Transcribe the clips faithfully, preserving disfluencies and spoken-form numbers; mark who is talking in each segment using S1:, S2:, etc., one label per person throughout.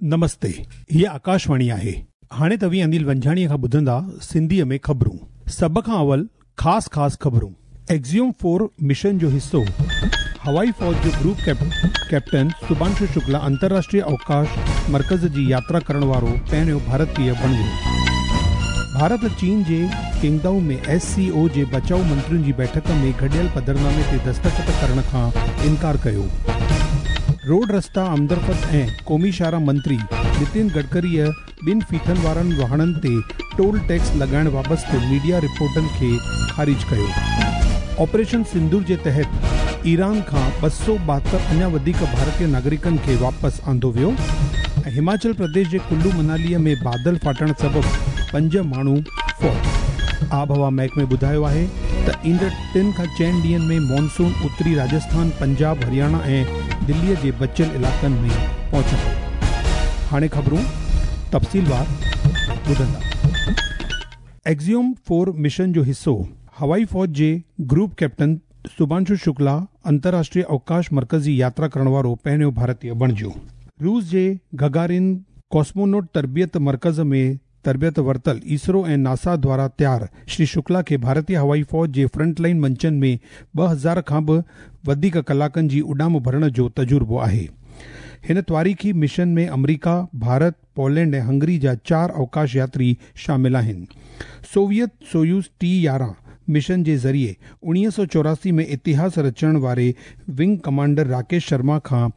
S1: नमस्ते, हीअ आकाशवाणी आहे। हाणे तव्हीं अनिल वंझाणीअ खां ॿुधंदा सिंधीअ में ख़बरूं। सभ खां अवल ख़ासि ख़ासि ख़बरूं। एक्सियोम फोर मिशन जो हिसो हवाई फ़ौज जो ग्रुप कैप्टन शुभांशु शुक्ला अंतर्राष्ट्रीय अवकाश मर्कज़ जी यात्रा करण वारो पहिरियों भारतीय बणियो। भारत चीन जे किंगदाओ में एस सी ओ जे बचाउ मंत्रियुनि जी बैठक में गॾियल पधरनामे ते दस्तख़त करण खां इनकार कयो। रोड रस्ता आमदरफ़्त ऐं क़ौमी शाहराह मंत्री नितिन गडकरीअ ॿिनि फीथनि वारनि वाहणनि ते टोल टैक्स लॻाइण बाबति मीडिया रिपोर्टनि खे ख़ारिज कयो। ऑपरेशन सिंदूर जे तहत ईरान खां ॿ सौ ॿाहतरि अञा वधीक भारतीय नागरिकनि खे वापसि आंदो वियो। ऐं हिमाचल प्रदेश जे कुल्लू मनालीअ में बादल फाटण सबबु पंज माण्हू फौत। आबहवा महकमे ॿुधायो आहे त ईंदड़ टिनि खां चइनि ॾींहंनि में मॉनसून उत्तरी राजस्थान, पंजाब, हरियाणा ऐं दिल्लीअ जे बचियल इलाइक़नि में पहुचंदो। हाणे ख़बरूं तफ़सीलवार ॿुधंदा। एक्सियोम फोर मिशन जो हिसो हवाई फ़ौज जे ग्रुप कैप्टन शुभांशु शुक्ला अंतर्राष्ट्रीय अवकाश मर्कज़ जी यात्रा करण वारो पहिरियों भारतीय बणिजो। रूस जे गगारिन कॉस्मोनॉट तरबियत मर्कज़ में तरबियत वरितल इसरो ऐं नासा द्वारा तयार श्री शुक्ला खे भारतीय हवाई फ़ौज जे फ्रंटलाइन मंचनि में ॿ हज़ार खां बि वधीक कलाकनि जी उॾाम भरण जो तजुर्बो आहे। हिन तारीख़ी मिशन में अमरीका, भारत, पोलैंड ऐं हंगरी जा चारि अवकाश यात्री शामिल आहिनि। सोवियत सोयूज़ टी यारहं मिशन जे ज़रिए उणिवीह सौ चौरासी में इतिहास रचण वारे विंग कमांडर राकेश शर्मा खां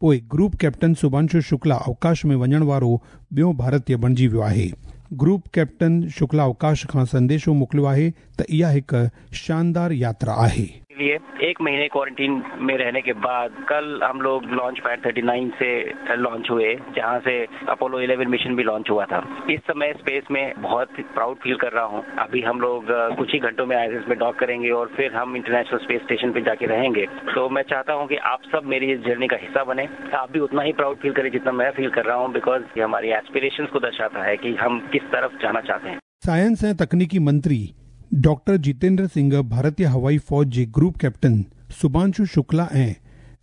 S1: पोइ ग्रुप कैप्टन शुभांशु शुक्ला अवकाश में वञण वारो ॿियो भारतीय बणिजी वियो आहे। ग्रुप कैप्टन शुक्ला अवकाश खां संदेशो मोकिलियो आहे त इहा हिकु शानदार यात्रा आहे।
S2: लिए एक महीने क्वारंटीन में रहने के बाद कल हम लोग लॉन्च पैड थर्टी नाइन से लॉन्च हुए, जहां से अपोलो इलेवन मिशन भी लॉन्च हुआ था। इस समय स्पेस में बहुत प्राउड फील कर रहा हूं। अभी हम लोग कुछ ही घंटों में आईएसएस में डॉक करेंगे और फिर हम इंटरनेशनल स्पेस स्टेशन पे जाके रहेंगे। तो मैं चाहता हूं कि आप सब मेरी इस जर्नी का हिस्सा बने, आप भी उतना ही प्राउड फील करें जितना मैं फील कर रहा हूँ, because ये हमारी एस्पिरेशंस को दर्शाता है कि हम किस तरफ जाना चाहते हैं।
S1: साइंस ऐं तकनीकी मंत्री डॉक्टर जितेंद्र सिंह भारतीय हवाई फ़ौज जे ग्रुप कैप्टन शुभांशु शुक्ला ऐं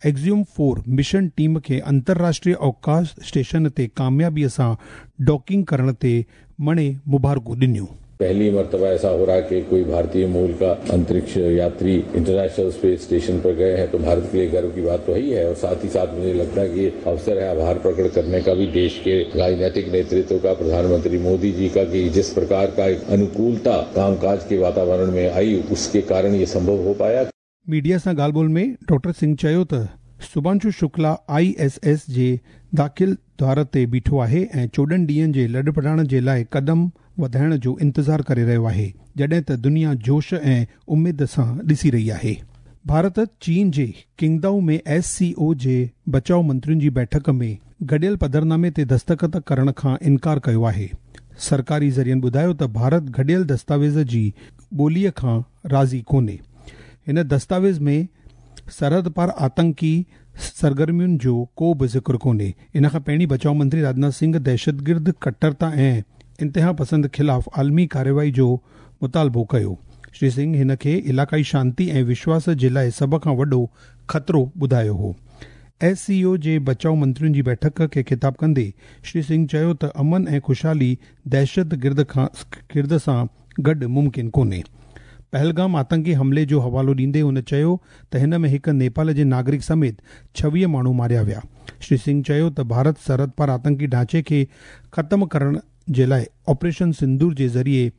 S1: एक्सियोम फोर मिशन टीम खे अंतर्राष्ट्रीय अवकाश स्टेशन ते कामयाबीअ सां डॉकिंग करण ते मणे मुबारकूं ॾिनियूं।
S3: पहली मर्तबा ऐसा हो रहा है कि कोई भारतीय मूल का अंतरिक्ष यात्री इंटरनेशनल स्पेस स्टेशन पर गए हैं, तो भारत के लिए गर्व की बात तो ही है। और साथ ही साथ मुझे लगता है कि ये अवसर है आभार प्रकट करने का भी देश के राजनीतिक नेतृत्व का, प्रधानमंत्री मोदी जी का, कि जिस प्रकार का एक अनुकूलता कामकाज के वातावरण में आई, उसके कारण ये संभव हो पाया।
S1: मीडिया सां ॻाल्हि ॿोल में डॉक्टर सिंह चयो त Shubhanshu Shukla I S S जे दाख़िल द्वार ते बीठो आहे ऐं चोॾहं ॾींहंनि जे लॾपड़ाण जे लाइ क़दम वधाइण जो इंतज़ार करे रहियो आहे, जॾहिं त दुनिया जोश ऐं उमेद सां ॾिसी रही आहे। भारत चीन जे किंगदाओ में एस सी ओ जे बचाउ मंत्रियुनि जी बैठक में गॾियल पधरनामे ते दस्तख़त करण खां इनकार कयो आहे। सरकारी ज़रियनि ॿुधायो त भारत गॾियल दस्तावेज़ जी ॿोलीअ खां राज़ी कोन्हे। हिन दस्तावेज़ में सरहद पार आतंकी सरगर्मियुनि जो को बि ज़िक्र कोन्हे। इन खां पहिरीं बचाउ मंत्री राजनाथ सिंह दहशतगिर्द कट्टरता ऐं इंतिहा पसंद ख़िलाफ़ आलमी कार्रवाई जो मुतालबो कयो। श्री सिंह हिन खे इलाइक़ाई शांति ऐं विश्वास जे लाइ सभ खां वॾो ख़तरो ॿुधायो हो। एस सी ओ जे बचाउ मंत्रियुनि जी बैठक खे ख़िताब कंदे श्री सिंह चयो त अमन ऐं ख़ुशहाली दहशतगिर्द खां गिर्द सां गॾु मुमकिन कोन्हे। पहलगाम आतंकी हमले जो हवालो ॾींदे हुन चयो त हिन में हिकु नेपाल जे नागरिक समेत छवीह माण्हू मारिया विया। श्री सिंह चयो त भारत सरहद पार आतंकी ढांचे खे ख़त्म करण जे लाइ ऑपरेशन सिंदूर जे ज़रिए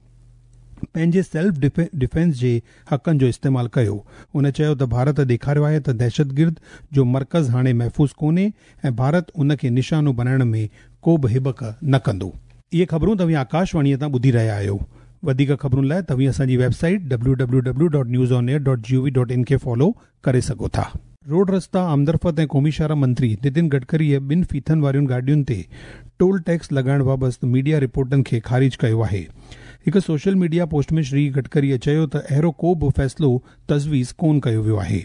S1: पंहिंजे सेल्फ डिफेंस जे हक़नि जो इस्तेमालु कयो। हुन चयो त भारत ॾेखारियो आहे त दहशतगिर्द जो मर्कज़ हाणे महफ़ूज़ कोन्हे ऐं भारत उन खे निशानो बणाइण में को बि हिबक न कंदो। इहे ख़बरूं तव्हीं आकाशवाणीअ तां ॿुधी रहिया आहियो। वधीक ख़बरुनि लाइ तव्हीं असांजी website W W W dot news on air dot G O V dot in खे फॉलो करे सघो था। रोड रस्ता आमदरफ़्त ऐं क़ौमी शाहराह मंत्री नितिन गडकरीअ ॿिनि फीथनि वारियुनि गाॾियुनि ते टोल टैक्स लॻाइण बाबति मीडिया रिपोर्टनि खे ख़ारिज कयो आहे। हिकु सोशल मीडिया पोस्ट में श्री गडकरीअ चयो त अहिड़ो को बि फ़ैसिलो तजवीज़ कोन कयो वियो आहे।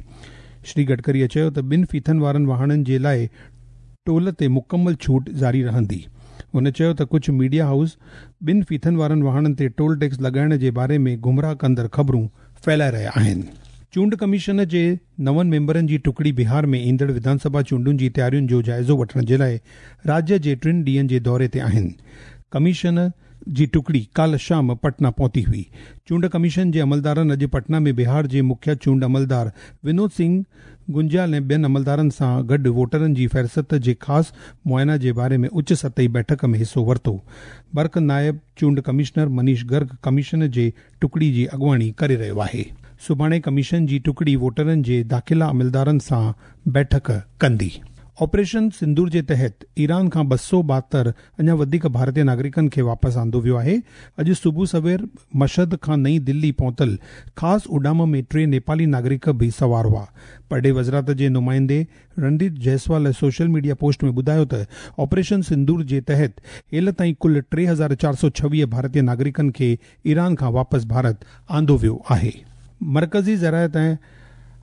S1: श्री गडकरीअ चयो त ॿिनि फीथनि वारनि वाहणनि जे लाइ टोल ते मुकमल छूट जारी रहंदी। हुन चयो त कुझु मीडिया हाउस ॿिनि फीथनि वारनि वाहणनि ते टोल टैक्स लॻाइण जे बारे में गुमराह कंदड़ ख़बरूं फैलाए रहिया आहिनि। चूंड कमीशन जे नवनि मेंबरनि जी टुकड़ी बिहार में ईंदड़ विधानसभा चूंडुनि जी तयारियुनि जो जाइज़ो वठण जे लाइ राज्य जे टिनि ॾींहंनि जे दौरे ते आहिनि। कमीशन जी टुकड़ी काल्ह शाम पटना पहुती हुई। चूंड कमीशन जे अमलदारनि अॼु पटना में बिहार जे मुख्य चूंड अमलदार विनोद सिंह गुंजाल ऐं ॿियनि अमलदारनि सां गॾु वोटरनि जी फ़हरिस्त जे ख़ासि मुआइना जे बारे में उच्च सतही बैठक में हिसो वरितो। बर्क नायब चूंड कमिश्नर मनीष गर्ग कमीशन जे टुकड़ी जी अॻुवाणी करे रहियो आहे। सुभाणे कमीशन जी टुकड़ी वोटरनि जे दाख़िला अमलदारनि सां बैठक कंदी। ऑपरेशन सिंदूर जे तहत ईरान खां ॿ सौ ॿाहतरि अञा वधीक भारतीय नागरिकनि खे वापसि आंदो वियो आहे। अॼु सुबुह सवेर मशहद खां नई दिल्ली पहुतल ख़ासि उॾाम में टे नेपाली नागरिक बि सवार हुआ। परॾेही वज़ारत जे नुमाइंदे Randeep Jaiswal social media post में ॿुधायो त ऑपरेशन सिंदूर जे तहत हेल ताईं कुल टे हज़ार चारि सौ छवीह भारतीय नागरिकनि खे ईरान खां वापसि भारत आंदो वियो आहे। मर्कज़ी ज़राअत ऐं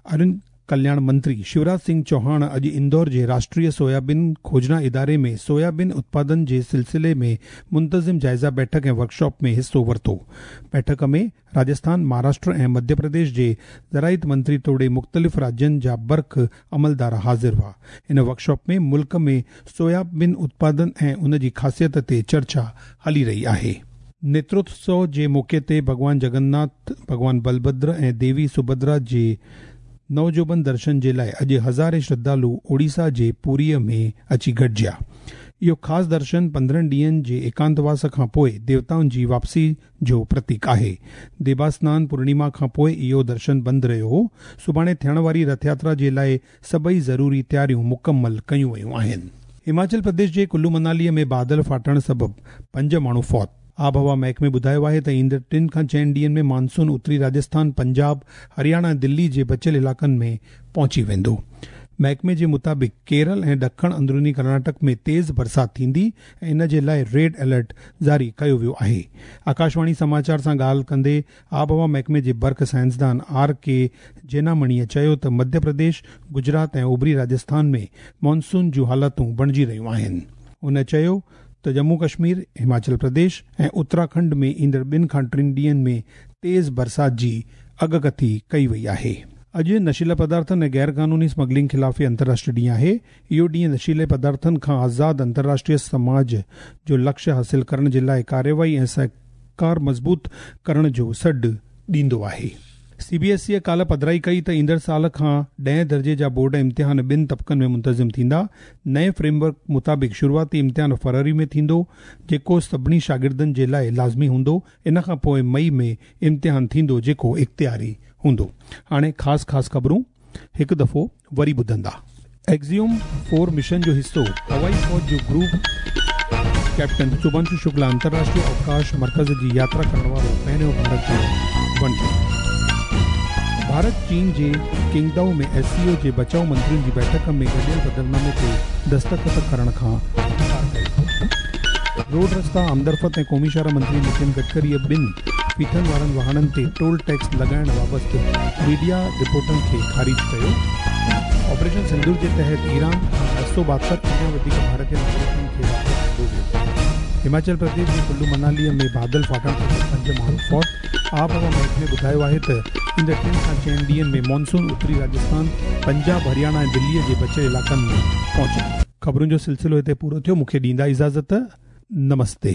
S1: अरुण कल्याण मंत्री शिवराज सिंह चौहान अॼु इंदौर जे राष्ट्रीय सोयाबीन खोजना इदारे में सोयाबीन उत्पादन जे सिलसिले में मुंतज़िम जाइज़ा बैठक ऐं वर्कशॉप में हिसो वरितो। बैठक में राजस्थान, महाराष्ट्र ऐं मध्य प्रदेश जे ज़राइत मंत्री तोड़े मुख़्तलिफ़ राज्यनि जा बर्ख अमलदार हाज़िर हुआ। इन वर्कशॉप में मुल्क में सोयाबीन उत्पादन ऐं उन जी ख़ासियत ते चर्चा हली रही आहे। नेत्रोत्सव जे मौक़े ते भॻवान जगन्नाथ, भॻवान बलभद्र ऐं देवी सुभद्रा जे नवजोबन दर्शन जे लाइ अॼु हज़ारे श्रद्धालु ओडिशा जे पुरीअ में अची गॾिजिया। इहो ख़ासि दर्शन पंद्रहं ॾींहंनि जे एकांतवास खां पोइ देवताउनि जी वापसी जो प्रतीक आहे। देवास्नान पूर्णिमा खां पोइ इहो दर्शन बंदि रहियो हो। सुभाणे थियण वारी रथ यात्रा जे लाइ सभई ज़रूरी तयारियूं मुकमल कयूं वयूं आहिनि। हिमाचल प्रदेश जे कुल्लू मनालीअ में बादल फाटण सबबु पंज माण्हू फौत। आबहवा महकमे ॿुधायो आहे त ईंदड़ टिनि खां चइनि ॾींहंनि में मानसून उत्तरी राजस्थान, पंजाब, हरियाणा ऐं दिल्ली जे बचियल इलाइक़नि में पहुची वेंदो। महकमे जे मुताबिक़ केरल ऐं ॾखण अंदरूनी कर्नाटक में तेज़ बरसाति थींदी ऐं इन जे लाइ रेड अलर्ट जारी कयो वियो आहे। आकाशवाणी समाचार सां ॻाल्हि कंदे आबहवा महकमे जे बर्ख साइंसदान are के जैनामणीअ चयो त मध्य प्रदेश, गुजरात ऐं उभरी राजस्थान में मानसून जूं हालतूं बणिजी रहियूं आहिनि। हुन चयो त जम्मू कश्मीर, हिमाचल प्रदेश ऐं उत्तराखंड में ईंदड़ ॿिनि खां टिनि ॾींहंनि में तेज़ बरसाति जी अॻकथी कई वई आहे। अॼु नशीला पदार्थनि ऐं गैर क़ानूनी स्मगलिंग ख़िलाफ़ अंतर्राष्ट्रीय ॾींहुं आहे। इहो ॾींहुं नशीले पदार्थनि खां आज़ाद अंतर्राष्ट्रीय समाज जो लक्ष्य हासिल करण जे लाइ कार्रवाई ऐं सहकार मज़बूत करण जो सॾु ॾींदो आहे। सी बी एस ई काल्ह पधराई कई त ईंदड़ साल खां ॾहें दर्जे जा बोर्ड इम्तिहान ॿिनि तबक़नि में मुंतज़िम थींदा। नए फ्रेमवर्क मुताबिक़ शुरूआती इम्तिहान फरवरी में थींदो, जेको सभिनी शागिर्दनि जे लाइ लाज़मी हूंदो। इन खां पोइ मई में इम्तिहान थींदो, जेको इख़्तियारी हूंदो। हाणे ख़ासि ख़ासि ख़बरूं हिकु दफ़ो वरी ॿुधंदा। एक्सियम फोर मिशन जो हिसो हवाई फ़ौज जो ग्रुप कैप्टन शुभांशु शुक्ला अंतर्राष्ट्रीय अवकाश मर्कज़ जी यात्रा करण वारो पहिरियों भारतीय बणियो। भारत चीन जे किंगदाओ में एस सी ओ जे बचाव मंत्रियुनि जी बैठक में गॾियल पधरनामे ते दस्तख़त करण खां इनकार कयो। रोड रस्ता आमदरफ़्त ऐं क़ौमी शाह मंत्री नितिन गडकरीअ ॿिनि फीथनि वारनि वाहननि ते टोल टैक्स लॻाइण बाबति मीडिया रिपोर्टनि खे ख़ारिज कयो। ऑपरेशन सिंदूर जे तहत ईरान खां ॿ सौ ॿाहतरि अञा वधीक भारतीय नागरिकनि खे वापसि आंदो वियो। हिमाचल प्रदेश जे कुल्लू मनालीअ में बादल फाटण सबबु पंज माण्हू फौत। आबहवा महकमे ॿुधायो आहे त ईंदड़ टिनि खां चइनि ॾींहंनि में मानसून उत्तरी राजस्थान, पंजाब, हरियाणा ऐं दिल्लीअ जे बचियल इलाइक़नि में पहुची। ख़बरुनि जो सिलसिलो हिते पूरो थियो। मूंखे ॾींदा इजाज़त। नमस्ते।